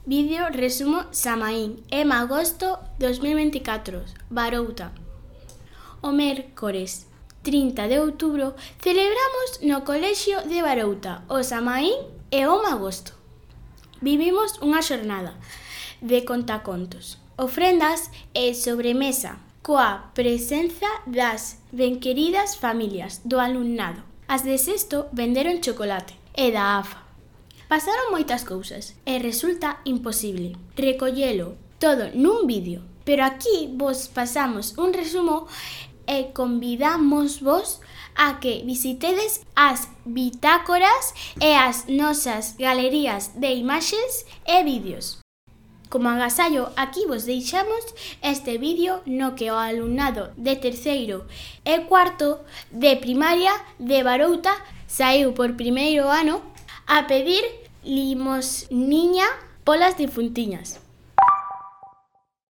Vídeo resumo Samaín, agosto 2024, Barouta. O mércores 30 de outubro celebramos no colexio de Barouta o Samaín e o Magosto. Vivimos unha xornada de contacontos, ofrendas e sobremesa coa presenza das benqueridas familias do alumnado. As de sexto venderon chocolate e da AFA. Pasaron moitas cousas e resulta imposible recollelo todo nun vídeo, pero aquí vos pasamos un resumo e convidámosvos a que visitedes as bitácoras e as nosas galerías de imaxes e vídeos. Como agasallo, aquí vos deixamos este vídeo no que o alumnado de terceiro e cuarto de primaria de Barouta saíu por primeiro ano a pedir limosniña polas difuntiñas.